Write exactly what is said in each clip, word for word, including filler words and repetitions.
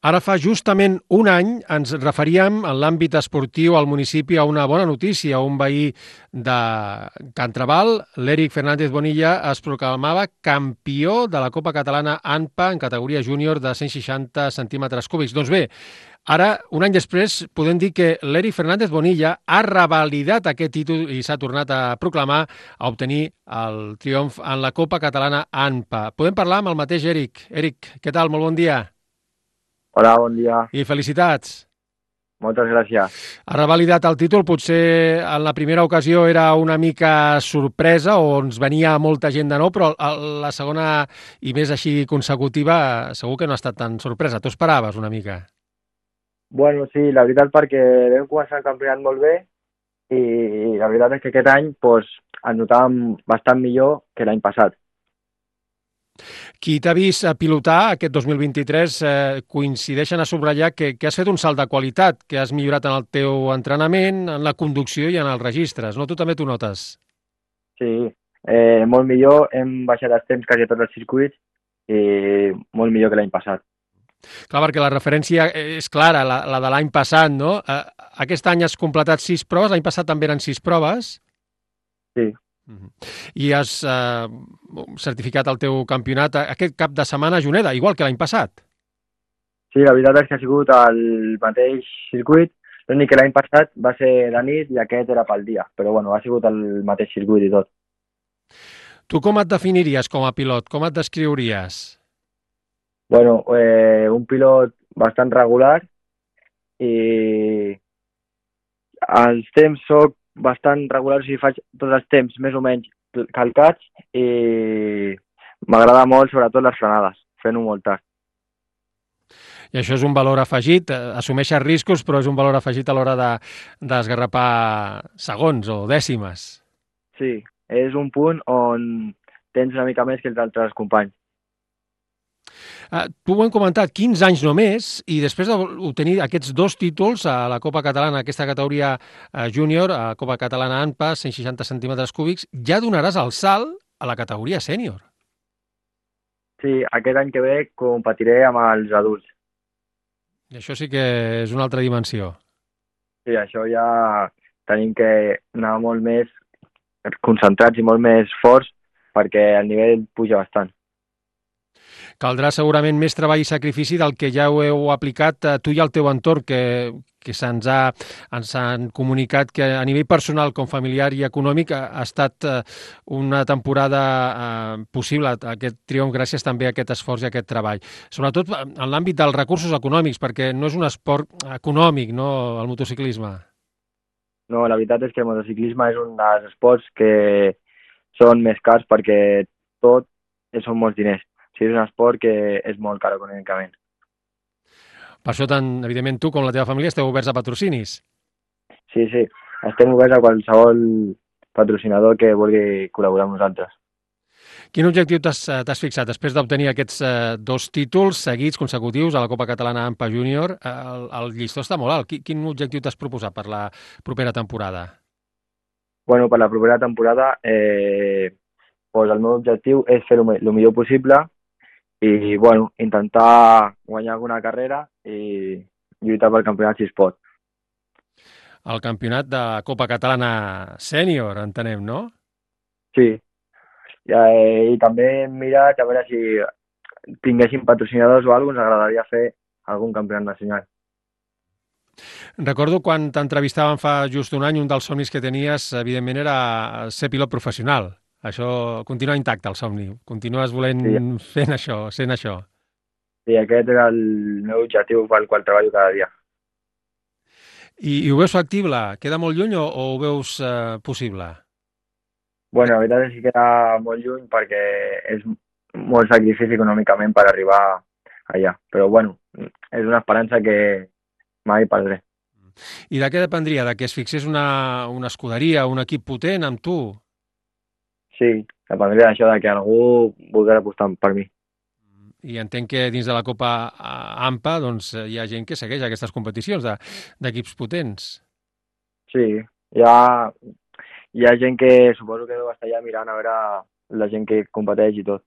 Ara fa justament un any ens referíem en l'àmbit esportiu al municipi a una bona notícia. Un veí de Can Trabal, l'Eric Fernández Bonilla, es proclamava campió de la Copa Catalana A N P A en categoria júnior de cent seixanta centímetres cúbics. Doncs bé, ara, un any després, podem dir que l'Eric Fernández Bonilla ha revalidat aquest títol i s'ha tornat a proclamar a obtenir el triomf en la Copa Catalana A N P A. Podem parlar amb el mateix Eric. Eric, què tal? Molt bon dia. Hola, bon dia. I felicitats. Moltes gràcies. Ha revalidat el títol, potser en la primera ocasió era una mica sorpresa o ens venia molta gent de nou, però la segona i més així consecutiva segur que no ha estat tan sorpresa. T'ho esperaves una mica? Bueno, sí, la veritat perquè vam començar el campionat molt bé i la veritat és que aquest any pues, ens notàvem bastant millor que l'any passat. Qui t'ha vist pilotar aquest dos mil vint-i-tres eh, coincideixen a subratllar que, que has fet un salt de qualitat, que has millorat en el teu entrenament, en la conducció i en els registres, no? Tu també t'ho notes? Sí, eh, molt millor, hem baixat els temps quasi a tots els circuits i molt millor que l'any passat. Clar, perquè la referència és clara, la, la de l'any passat, no? Eh, aquest any has completat sis proves, l'any passat també eren sis proves? Sí. I has eh, certificat el teu campionat aquest cap de setmana a Juneda, igual que l'any passat. Sí, la veritat és que ha sigut el mateix circuit, l'únic que l'any passat va ser de nit i aquest era pel dia, però bueno, ha sigut el mateix circuit i tot. Tu com et definiries com a pilot? Com et descriuries? Bueno, eh, un pilot bastant regular i els temps soc bastant regular, o sigui, faig tots els temps més o menys calcats i m'agrada molt, sobretot les frenades, fent-ho molt tard. I això és un valor afegit, assumeixes riscos, però és un valor afegit a l'hora de, d'esgarrapar segons o dècimes. Sí, és un punt on tens una mica més que els altres companys. Uh, tu ho hem comentat, quinze anys només, i després d'obtenir aquests dos títols a la Copa Catalana, aquesta categoria uh, júnior, a la Copa Catalana A N P A, cent seixanta centímetres cúbics, ja donaràs el salt a la categoria sènior. Sí, aquest any que ve competiré amb els adults. I això sí que és una altra dimensió. Sí, això ja tenim que anar molt més concentrats i molt més forts perquè el nivell puja bastant. Caldrà segurament més treball i sacrifici del que ja ho heu aplicat eh, tu i el teu entorn, que, que se'ns ha, ens han comunicat que a nivell personal com familiar i econòmic ha, ha estat eh, una temporada eh, possible, aquest triomf gràcies també a aquest esforç i a aquest treball. Sobretot en l'àmbit dels recursos econòmics, perquè no és un esport econòmic, no?, el motociclisme. No, la veritat és que el motociclisme és un dels esports que són més cars perquè tot són molts diners. O sigui, és un esport que és molt car econòmicament. Per això, tant, evidentment, tu com la teva família esteu oberts a patrocinis. Sí, sí. Estem oberts a qualsevol patrocinador que vulgui col·laborar amb nosaltres. Quin objectiu t'has, t'has fixat després d'obtenir aquests eh, dos títols seguits consecutius a la Copa Catalana A N P A Júnior? El, el llistó està molt alt. Quin, quin objectiu t'has proposat per la propera temporada? Bueno, per la propera temporada eh, pues el meu objectiu és fer el millor possible i bueno, intentar guanyar alguna carrera i lluitar pel campionat si es pot. El campionat de Copa Catalana Sènior, entenem, no? Sí, I, eh, i també hem mirat a veure si tinguéssim patrocinadors o alguna cosa, ens agradaria fer algun campionat nacional. Recordo quan t'entrevistàvem fa just un any, un dels somnis que tenies, evidentment, era ser pilot professional. Això continua intacte, el somni. Continues volent sí. fent això, sent això. Sí, aquest era el meu objectiu pel qual treballo cada dia. I, i ho veus factible? Queda molt lluny o, o ho veus eh, possible? Bueno, la veritat és que queda molt lluny perquè és molt sacrifici econòmicament per arribar allà. Però bueno, és una esperança que mai perdré. I de què dependria? De que es fixés una, una escuderia, un equip potent amb tu? Sí, dependria d'això, de que algú volgués apostar per mi. I entenc que dins de la Copa A N P A doncs, hi ha gent que segueix aquestes competicions d'equips de, potents. Sí, hi ha, hi ha gent que suposo que deu estar allà mirant a veure la gent que competeix i tot.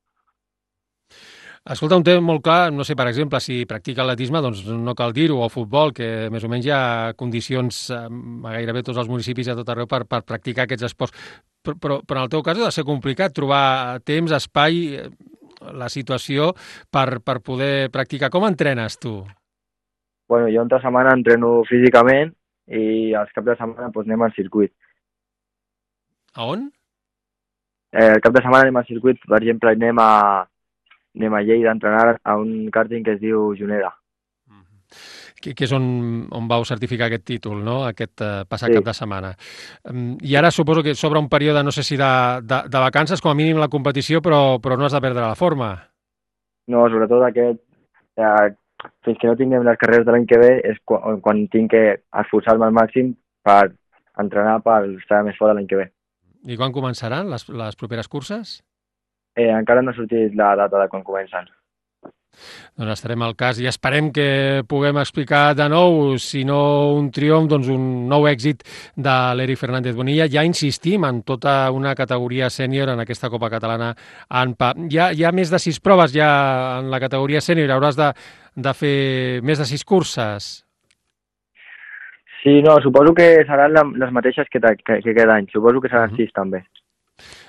Escolta, un tema molt clar, no sé, per exemple, si practica atletisme, doncs no cal dir-ho, o futbol, que més o menys hi ha condicions a gairebé tots els municipis a tot arreu per, per practicar aquests esports. Però, però, però en el teu cas ha de ser complicat trobar temps, espai, la situació per, per poder practicar. Com entrenes tu? Bueno, jo entre setmana entreno físicament i els caps de setmana doncs, anem al circuit. A on? Eh, el cap de setmana anem al circuit, per exemple, anem a, anem a Lleida a entrenar a un kàrting que es diu Junera. Que, que és on, on vau certificar aquest títol, no?, aquest eh, passat Sí. cap de setmana. Um, I ara suposo que s'obre un període, no sé si de, de, de vacances, com a mínim la competició, però, però no has de perdre la forma. No, sobretot aquest, eh, fins que no tinguem les carreres de l'any que ve, és quan, quan tinc que esforçar-me al màxim per entrenar per estar més fort l'any que ve. I quan començaran les, les properes curses? Eh, encara no ha sortit la data de quan comencen. Doncs estarem al cas i esperem que puguem explicar de nou, si no un triomf, doncs un nou èxit de l'Eric Fernández Bonilla. Ja insistim en tota una categoria sènior en aquesta Copa Catalana A N P A. Hi ha, hi ha més de sis proves ja en la categoria sènior, hauràs de, de fer més de sis curses. Sí, no, suposo que seran la, les mateixes que, que, que cada any. Suposo que seran uh -huh. sis també.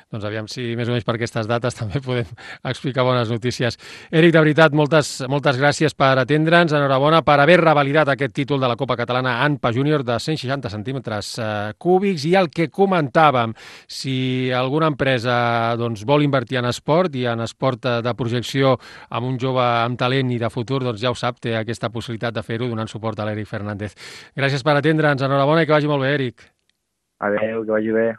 Doncs aviam si més o menys per aquestes dates també podem explicar bones notícies. Eric, de veritat, moltes, moltes gràcies per atendre'ns. Enhorabona per haver revalidat aquest títol de la Copa Catalana A N P A Júnior de cent seixanta centímetres eh, cúbics. I el que comentàvem, si alguna empresa doncs, vol invertir en esport i en esport de projecció amb un jove amb talent i de futur, doncs ja ho sap, té aquesta possibilitat de fer-ho donant suport a l'Eric Fernández. Gràcies per atendre'ns. Enhorabona i que vagi molt bé, Eric. Adéu, que vagi bé.